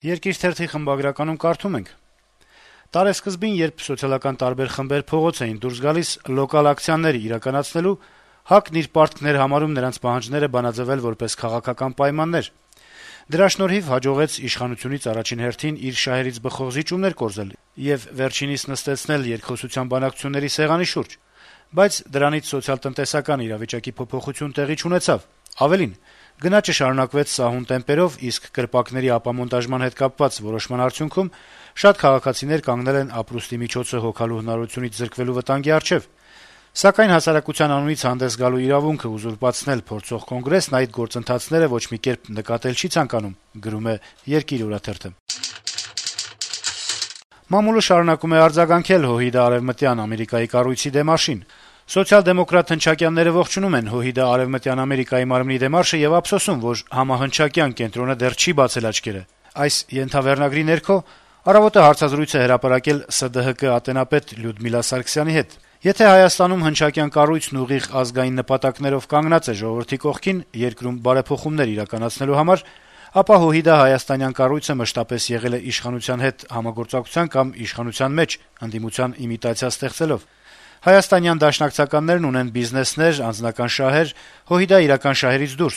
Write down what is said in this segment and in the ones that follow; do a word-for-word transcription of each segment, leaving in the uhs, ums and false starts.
Երկիր թերթի խմբագրականում կարդում ենք. - Տարեսկզբին, երբ սոցիալական տարբեր խմբեր փողոց էին դուրս գալիս լոկալ ակցիաներ իրականացնելու, ՀԱԿ-ն իր պարտքն էր համարում նրանց պահանջները բանաձեւել որպես քաղաքական պայմաններ: Դրա շնորհիվ հաջողեց իշխանությունից առաջին հերթին իր շահերից բխող զիջումներ կորզել եւ վերջինիս նստեցնել երկխոսության բանակցությունների սեղանի շուրջ: Բայց դրանից սոցիալ-տնտեսական իրավիճակի փոփոխություն տեղի չունեցավ: Ավելին, գնաճը շարունակվեց սահուն տեմպերով, իսկ կրպակների ապամոնտաժման հետ կապված որոշման արդյունքում շատ քաղաքացիներ կանգնել են ապրուստի միջոցը հոգալու հնարավորությունից զրկվելու վտանգի առջեւ: Սակայն հասարակության անունից հանդես գալու իրավունքը ուզուրպացնել փորձող Կոնգրեսն այդ գործընթացները ոչ մի կերպ նկատել չի ցանկանում, գրում է «Երկիր» օրաթերթը: Մամուլը շարունակում է արձագանքել ՀՅԴ Արեւմտյան Ամերիկայի կառույցի դեմարշին: Սոցիալ-դեմոկրատ հնչակյանները ողջունում են ՀՅԴ Արեւմտյան Ամերիկայի մարմնի դեմարշը եւ ափսոսում, որ համահնչակյան կենտրոնը դեռ չի բացել աչքերը: Այս ենթավեռնագրի ներքո «Առավոտ»-ը հարցազրույց է հրապարակել ՍԴՀԿ ատենապետ Լյուդմիլա Սարգսյանի հետ: Եթե Հայաստանում հնչակյան կառույցն ուղիղ ազգային նպատակներով կանգնած է ժողովրդի կողքին, երկրում բարեփոխումներ իրականացնելու համար, ապա ՀՅԴ հայաստանյան կառույցը մշտապես եղել է իշխանության հետ համագործակցության կամ իշխանության մեջ ընդդիմության իմիտացիա ստեղծելով: Հայաստանյան դաշնակցականներն ունեն բիզնեսներ, անձնական շահեր, ՀՅԴ իրական շահերից դուրս: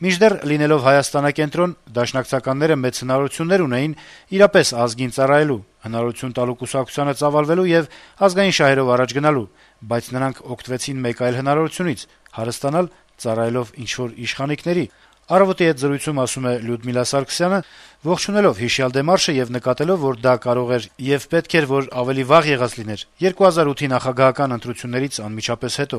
Մինչդեռ լինելով հայաստանակենտրոն, դաշնակցականները մեծ հնարավորություններ ունեին իրապես ազգին ծառայելու, հնարավորություն տալու կուսակցությանը ծավալվելու եւ ազգային շահերով առաջ գնալու, բայց նրանք օգտվեցին մեկ այլ հնարավորությունից՝ հարստանալ՝ ծառայելով ինչ-որ իշխանիկների: «Առավոտ»-ի հետ զրույցում ասում է Լյուդմիլա Սարգսյանը, ողջունելով հիշյալ դեմարշը եւ նկատելով, որ դա կարող էր եւ պետք էր, որ ավելի վաղ եղած լիներ՝ երկու հազար ութի նախագահական ընտրություններից անմիջապես հետո: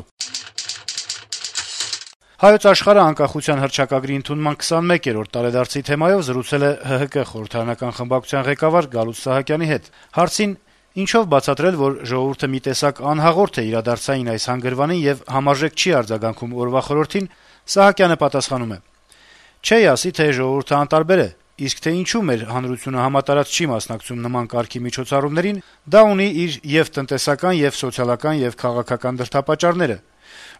«Հայոց Աշխարհ»-ը անկախության հռչակագրի ընդունման քսանմեկերորդ տարեդարձի թեմայով զրուցել է ՀՀԿ խորհրդարանական խմբակցության ղեկավար Գալուստ Սահակյանի հետ: Հարցին՝ ինչով բացատրել, որ ժողովուրդը մի տեսակ անհաղորդ է իրադարձային այս հանգրվանին եւ համարժեք չի արձագանքում օրվա խորհրդին, Սահակյանը պատասխանում է. - «Չէի ասի, թե ժողովուրդը անտարբեր է, իսկ թե ինչու մեր հանրությունը համատարած չի մասնակցում նման կարգի միջոցառումներին, դա ունի իր եւ տնտեսական, եւ սոցիալական, եւ քաղաքական դրդապատճառները: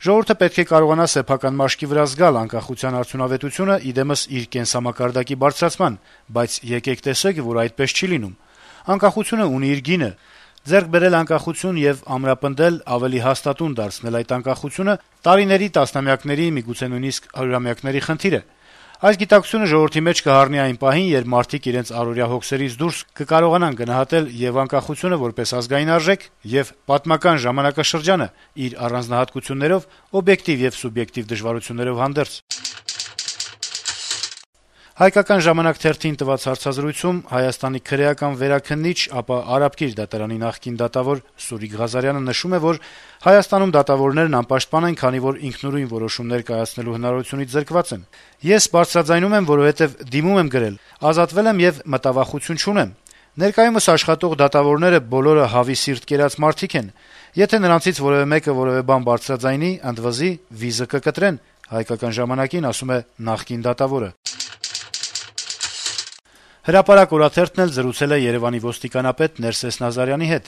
Ժողովուրդը պետք է կարողանա սեփական մաշկի վրա զգալ անկախության արդյունավետությունը ի դեմս իր կենսամակարդակի բարձրացման, բայց եկեք տեսեք, որ այդպես չի լինում: Անկախությունը ունի իր գինը: Ձեռք բերել անկախություն եւ ամրապնդել, ավելի հաստատուն դարձնել այդ անկախությունը տարիների, տասնամյակների, միգուցե նույնիսկ հարյուրամյակների խնդիր է: Այս գիտակցությունը ժողովրդի մեջ կհառնի այն պահին, երբ մարդիկ իրենց առօրյա հոգսերից դուրս կկարողանան գնահատել եւ անկախությունը որպես ազգային արժեք, եւ պատմական ժամանակաշրջանը իր առանձնահատկություններով, օբյեկտիվ եւ սուբյեկտիվ դժվարություններով հանդերձ»: «Հայկական ժամանակ» թերթին տված հարցազրույցում Հայաստանի քրեական վերաքննիչ, ապա Արաբկիր դատարանի նախկին դատավոր Սուրիկ Ղազարյանը նշում է, որ Հայաստանում դատավորներն անպաշտպան են, քանի որ ինքնուրույն որոշումներ կայացնելու հնարավորությունից զրկված են: «Ես բարձրաձայնում եմ, որովհետեւ դիմում եմ գրել, ազատվել եմ եւ մտավախություն չունեմ: Ներկայումս աշխատող դատավորները բոլորը հավի սիրտ կերած մարդիկ են: Եթե նրանցից որեւէ մեկը որեւէ բան բարձրաձայնի, ընդվզի, վիզը կկտրեն», «Հայկական ժամանակ»-ին ասում է նախկին դատավորը: «Հրապարակ» օրաթերթն էլ զրուցել է Երեւանի ոստիկանապետ Ներսես Նազարյանի հետ: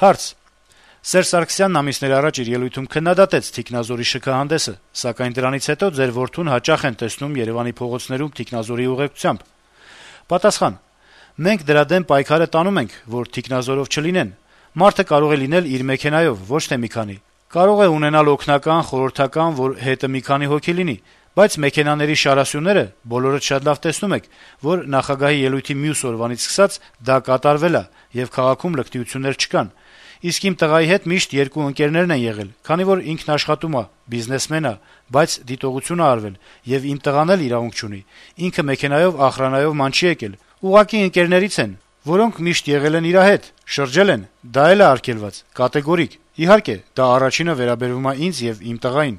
Հարց. - «Սերժ Սարգսյանն ամիսներ առաջ իր ելույթում քննադատեց թիկնազորի շքահանդեսը, սակայն դրանից հետո ձեր որդուն հաճախ են տեսնում Երեւանի փողոցներում թիկնազորի ուղեկցությամբ»: Պատասխան. - «Մենք դրա դեմ պայքարը տանում ենք, որ թիկնազորով չլինեն: Մարդը կարող է լինել իր մեքենայով, ոչ թե մի քանի: Կարող է ունենալ օգնական, խորհրդական, որ հետը մի քանի հոգի լինի: Բայց մեքենաների շարասյուները բոլորդ շատ լավ տեսնում եք, որ նախագահի ելույթի մյուս օրվանից սկսած դա կատարվել ա, եւ քաղաքում լկտիություններ չկան: Իսկ իմ տղայի հետ միշտ երկու ընկերներն են եղել, քանի որ ինքն աշխատում ա, բիզնեսմեն ա, բայց դիտողություն ա արվել, եւ իմ տղան էլ իրավունք չունի: Ինքը մեքենայով ախրանայով ման չի եկել: Ուղղակի ընկերներից են, որոնք միշտ եղել են իրա հետ, շրջել են: Դա էլ ա արգելված, կատեգորիկ: Իհարկե, դա առաջինը վերաբերում ա ինձ եւ իմ տղային»: